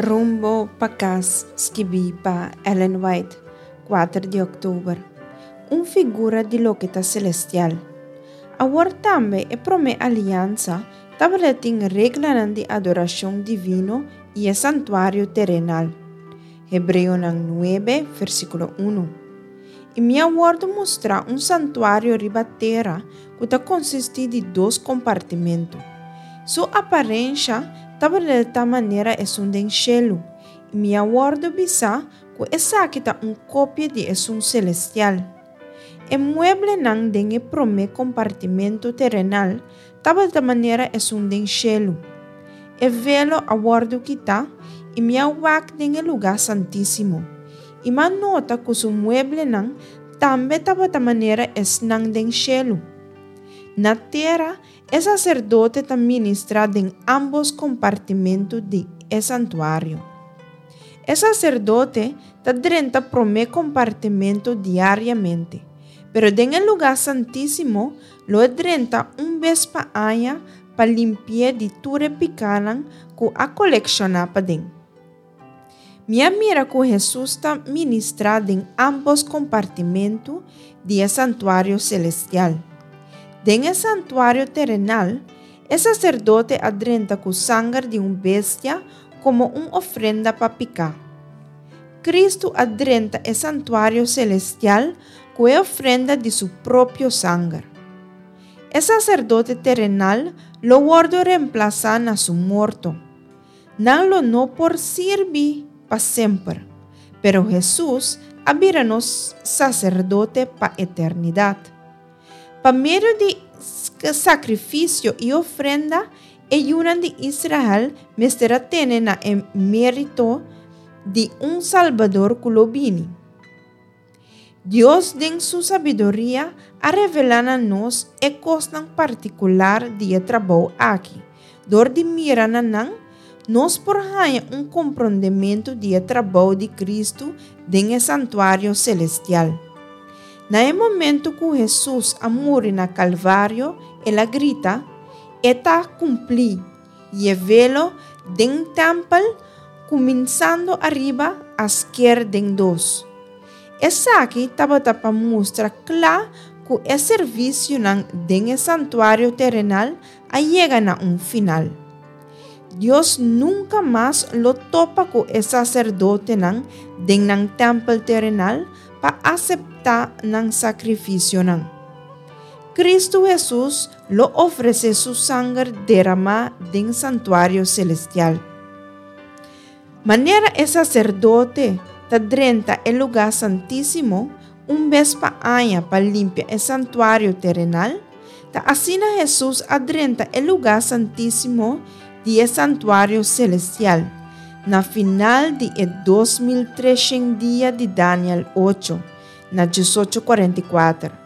Rumbo pa kas, skibí pa Ellen White, kuater di òktober. Un figura di loke ta selestial. Awor tambe e promé aliansa tabata tin reglanan di adorashon divino i e santuario terenal. Hebreonan nuebe, versíkulo unu. I mi a wòrdu mustrá un santuario riba tera ku ta konsistí di dos kompartimentu. Su aparensha tabata di tal manera esun den shelu, i mi a wòrdu bisá ku esaki ta un kopia di esun selestial. E mueblenan den e promé kompartimentu terenal tabata manera esun den shelu. E velo a wòrdu kitá i mi a wak den e lugá santísimo, i m'a nota ku su mueblenan tambe tabata manera esnan den shelu. Na tera e saserdote ta ministrá den ámbos kompartimentu di e santuario. E saserdote ta drenta promé kompartimentu diariamente, pero den e lugá santísimo lo e drenta un bes pa aña pa limpi'é di tur e pikánan ku a kolekshoná paden. Mi a mira ku Hesus ta ministrá den ámbos kompartimentu di e santuario selestial. Den e santuario terenal, e saserdote a drenta ku sanger di un bestia komo un ofrenda pa piká. Kristu a drenta e santuario selestial ku e ofrenda di su propio sanger. E saserdote terenal lo wòrdu remplasá na su morto. Nan lo no por sirbi pa semper, pero Hesus a bira nos Saserdote pa eternidat. Pa medio di sakrifisio i ofrenda, e yunan di Israel mester a tene na e mérito di un Salbador ku lo bini. Dios den su sabiduria a revelá na nos e kosnan partikular di e trabou aki. Dor di mira na nan, nos por haña un komprondementu di e trabou di Kristu den e santuario selestial. Na e momentu ku Hesus a muri na Kalvario, el a grita, E ta kumplí! I e velo den tèmpel, kuminsando ariba, a sker den dos. Esaki tabata pa mustra kla ku e servisionan den e santuario terenal a yega na un final. Dios nunka mas lo topa ku e saserdotenan den nan tèmpel terenal pa aseptá nan sakrifisionan. Kristu Hesus lo ofresé su sanger deramá den santuario selestial. Manera e saserdote ta drenta e lugá santísimo un bes pa aña pa limpia e santuario terenal, ta asina Hesus a drenta e lugá santísimo di e santuario selestial na final di e 2300 dia di Daniel ocho, na diesocho kuarenta i kuater.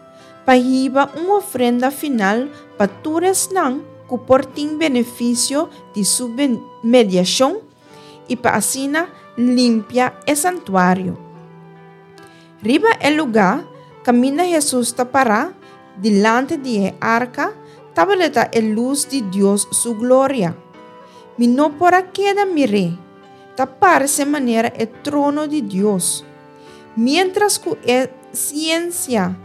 pa hiba un ofrenda final pa tur esnan ku por tin benefisio di su mediashon i pa asina limpia e santuario. Riba e lugá kaminda Hesus ta pará dilanti di e arka tabata e lus di Dios su gloria. Mi no por a keda mir'é, ta parse manera e trono di Dios. Miéntras ku e siensia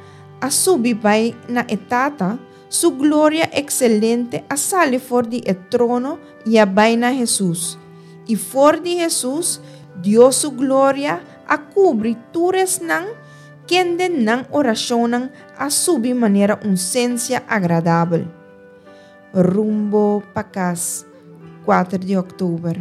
a subi bai na e Tata, su gloria ekselente a sali for di e trono i a bai na Hesus. I for di Hesus, Dios su gloria a kubri tur esnan kende nan orashonnan a subi manera un sensia agradabel. Rumbo pa kas, kuater di òktober.